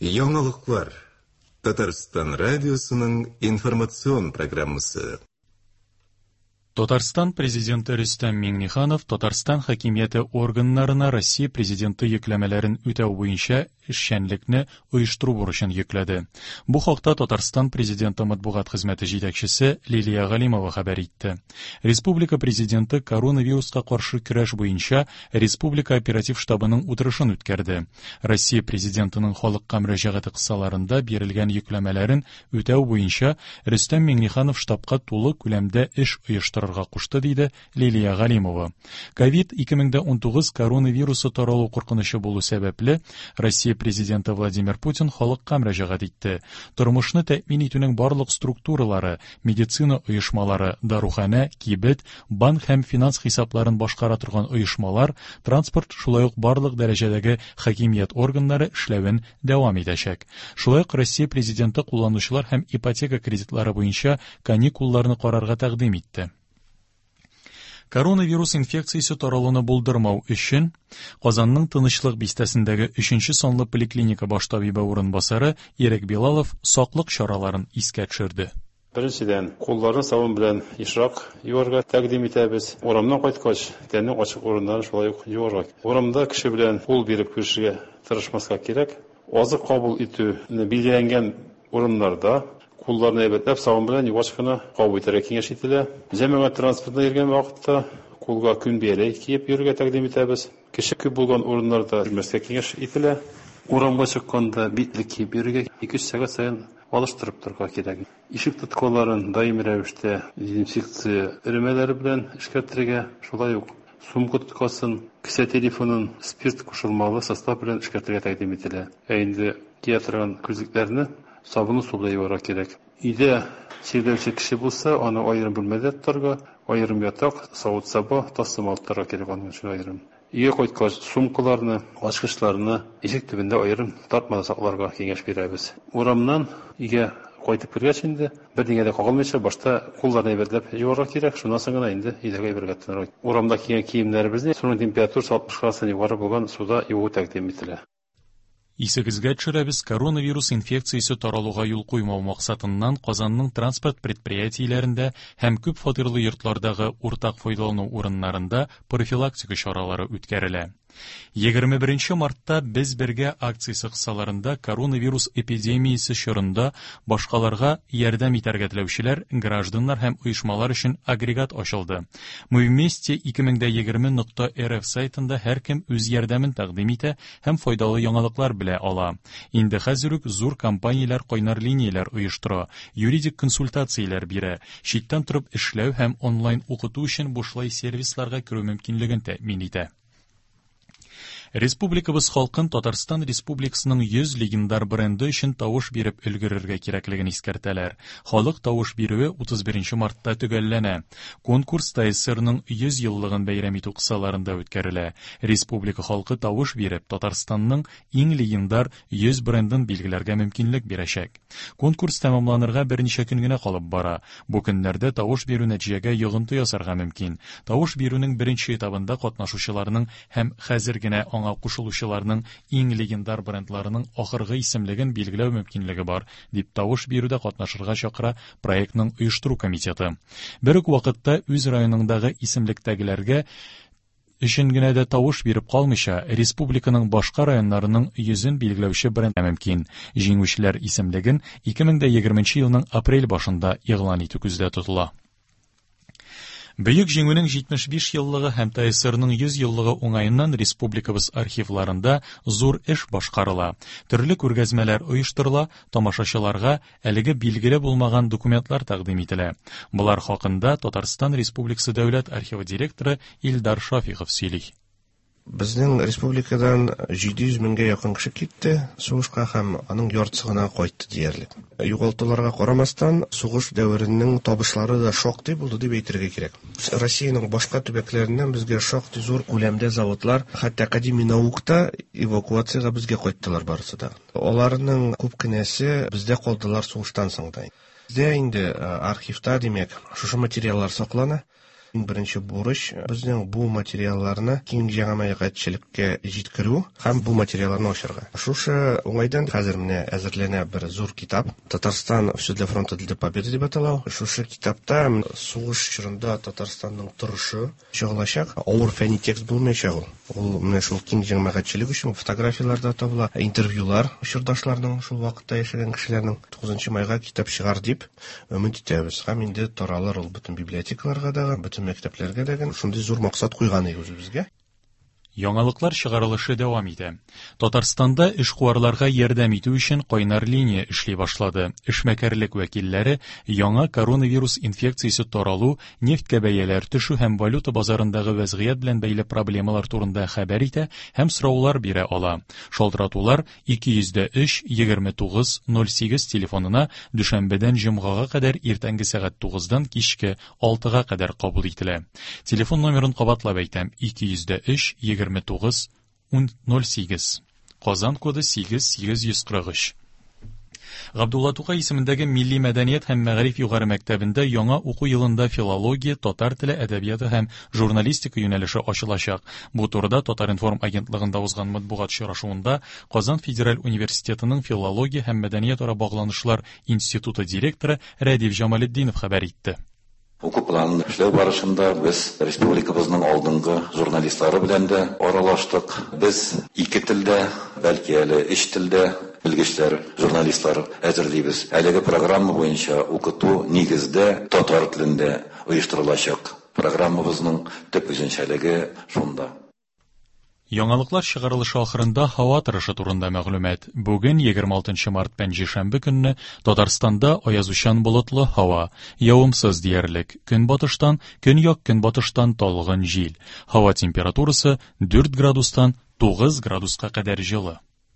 Яңалыклар. Татарстан радиосының информацион программасы. Татарстан Президенты Рөстәм Миңнеханов Татарстан хакимияте органнарына Россия Президенты йөкләмәләрен үтәү буенча эшчәнлекне оештыру бурычын йөкләде. Бу хакта Татарстан Президенты матбугат хезмәте җитәкчесе Лилия Галимова хәбәр итте. Республика Президенты коронавируска каршы көрәш буенча Республика оператив штабының утырышын үткәрде. Россия Президентының халыкка мөрәҗәгате кысаларында бирелгән йөкләмәләрен үтәү буенча Рөстәм Миңнеханов штабка тулы күләмдә эш оештырырга кушты, диде Лилия Галимова. Ковид-2019 коронавирусы таралу куркынычы булу сәбәпле, Россия Президенты Владимир Путин халыкка мөрәҗәгать итте. Тормышны тәэмин итүнең барлык структуралары, медицина оешмалары, даруханә, кибет, банк һәм финанс хисапларын башкара торган оешмалар, транспорт, шулай ук барлык дәрәҗәдәге хакимият органнары эшләвен дәвам итәчәк. Шулай ук Россия Президенты кулланучылар һәм ипотека кредитлары буенча каникулларны карарга тәкъдим итте. Коронавирус инфекциясе таралуны булдырмау өчен Казанның Тынычлык бистәсендәге 3 санлы поликлиника баш табибы урынбасары Ирек Билалов саклык чараларын искә төшерде. Беренчедән, кулларны сабын белән ешрак юарга тәкъдим итәбез. Урамнан кайткач, тәннең ачык урыннарын шулай ук юарга. Урамда кеше белән кул биреп күрешергә тырышмаска кирәк. Азык кабул итүне билгеләнгән урыннарда кулларны әйбәтләп сабын белән югач кына кабул итәргә киңәш ителә. Җәмәгать транспортында йөргән вакытта кулга күн бияләй киеп йөрергә тәкъдим итәбез. Кеше күп булган урыннарда йөрмәскә киңәш ителә. Урамга чыкканда битлек киеп йөрергә, 2-3 сәгать саен алыштырып торырга кирәк. Ишек тоткаларын даими рәвештә дезинфекция эремәләре белән эшкәртергә, шулай ук сумка тоткасын, кесә телефонын спирт кушылмалы состав белән эшкәртергә тәкъдим ителә. Ә инде кия торган күзлекләрне сабынлы су белән юарга кирәк. Өйдә чирләүче кеше булса, аны аерым бүлмәдә тотарга, аерым ятак, савыт-саба, тастымал тотарга кирәк аның өчен аерым. Өйгә кайткач, сумкаларны, ачкычларны ишек төбендә аерым тартмада сакларга киңәш бирәбез. Урамнан өйгә кайтып кергәч инде, бернигә дә кагылмыйча, башта кулларны әйбәтләп юарга кирәк, шуннан соң гына инде өйдәге әйбергә тотынырга. Урамда кигән киемнәребезне суның температурасы 60 градустан югары булган суда юу тәкъдим ителә. Исегезгә төшерәбез, коронавирус инфекциясе таралуга юл куймау максатыннан Казанның транспорт предприятиеләрендә һәм күп фатирлы йортлардагы уртак файдалану урыннарында профилактика чаралары үткәрелә. 21 мартта Без бергә акциясе кысаларында коронавирус эпидемиясе чорында башкаларга ярдәм итәргә теләүчеләр, гражданнар һәм оешмалар өчен агрегат ачылды. Мы вместе 2020.рф сайтында һәркем үз ярдәмен тәкъдим итә һәм файдалы яңалыклар белә ала. Инде хәзер үк зур компанияләр кайнар линияләр оештыра, юридик консультацияләр бирә, читтән торып эшләү һәм онлайн укыту өчен бушлай сервисларга керү мөмкинлеген тәэмин итә. Республикабыз халкын Татарстан Республикасының 100 легендар бренды өчен тавыш биреп өлгерергә кирәклеген искәртәләр. Халык тавыш бирүе 31 мартта төгәлләнә. Конкурс ТССРның 100 еллыгын бәйрәм итү кысаларында үткәрелә. Республика халкы тавыш биреп, Татарстанның иң легендар 100 брендын билгеләргә мөмкинлек бирәчәк. Конкурс тәмамланырга берничә көн генә калып бара. Бу көннәрдә тавыш бирү нәтиҗәгә йогынты ясарга мөмкин. Тавыш бирүнең беренче этабында катнашучыларның һәм хәзер генә аңа кушылучыларның иң легендар брендларының ахыргы исемлеген билгеләү мөмкинлеге бар, дип тавыш бирүдә катнашырга чакыра проектның оештыру комитеты. Бер үк вакытта үз районыңдагы исемлектәгеләргә өчен генә дә тавыш биреп калмыйча, республиканың башка районнарының йөзен билгеләүче бренд мөмкин. Җиңүчеләр исемлеген 2020 елның апрель башында игълан итү күздә тотыла. Бөек Җиңүнең 75 еллыгы һәм ТССРның 100 еллыгы уңаеннан республикабыз архивларында зур эш башкарыла. Төрле күргәзмәләр оештырыла, тамашачыларга әлеге билгеле булмаган документлар тәкъдим ителә. Болар хакында Татарстан Республикасы Дәүләт архивы директоры Илдар Шафихов сөйли. Безнең республикадан 700 меңгә якын кеше китте сугышка һәм аның яртысы гына кайтты диярлек. Югалтуларга карамастан, сугыш дәверенең табышлары да шактый булды дип әйтергә кирәк. Россиянең башка төбәкләреннән безгә шактый зур күләмдә заводлар, хәтта академия наукта эвакуациягә безгә кайттылар барысы да. Аларның күп кенәсе бездә калдылар сугыштан соң да. Бездә инде архивта, димәк, шушы материаллар саклана. Иң беренче бурыч безнең бу материалларны киң җәмәгатьчелеккә җиткерү һәм бу материалларны ачарга. Шушы уңайдан хәзер менә әзерләнә бер зур китап. Татарстан все для фронта для победы дип атала. Шушы китапта сугыш чорында Татарстанның торышы чагылачак. Авыр фәнни текст булмаячак ул. Ул менә шул киң җәмәгатьчелек өчен фотографияләр дә табыла, интервьюлар чордашларның, шул вакытта яшәгән кешеләрнең. 9 майга китап чыгар дип өмет итәбез. Һәм инде таралыр ул бөтен библиотекаларга да, бөтен мәктәпләргә дә. Шундый зур максат куйган идек үзебезгә. Яңалыклар чыгарылышы дәвам итә. Татарстанда эшкуарларга ярдәм итү өчен кайнар линия эшли башлады. Эшмәкәрлек вәкилләре яңа коронавирус инфекциясе таралу, нефтькә бәяләр төшү һәм валюта базарындагы вәзгыять белән бәйле проблемалар турында хәбәр итә һәм сораулар бирә ала. Шалтыратулар 203 29 08 телефонына дүшәмбедән җомгага кадәр иртәнге сәгать 9-дан кичке 6-га кадәр кабул ителә. Телефон номерын кабатлап әйтәм: 203 29 08. Казан коды 8843. Габдулла Тукай исемендәге Милли мәдәният һәм мәгариф югары мәктәбендә яңа уку елында филология, татар теле, әдәбияты һәм журналистика юнәлеше ачылачак. Бу турыда Татар-информ агентлыгында узган матбугат очрашуында Казан федераль университетының филология һәм мәдәниятара багланышлар институты директоры Рәдиф Җамалетдинов хәбәр итте. Уку планын эшләү барышында без республикабызның алдынгы журналистлары белән дә аралаштык. Без ике телдә, бәлки әле өч телдә белгечләр, журналистлар әзерлибез. Әлеге программа буенча укыту нигездә татар телендә оештырылачак. Программабызның төп үзенчәлеге шунда. Яңалыклар чыгарылышы ахырында һава торышы турында мәгълүмат. Бүген 26 март пәнҗешәмбе көнне Татарстанда аязучан болытлы һава, явымсыз диярлек. Көнбатыштан, көньяк-көнбатыштан талгын җил. Һава температурасы 4 градустан 9 градуска кадәр җылы.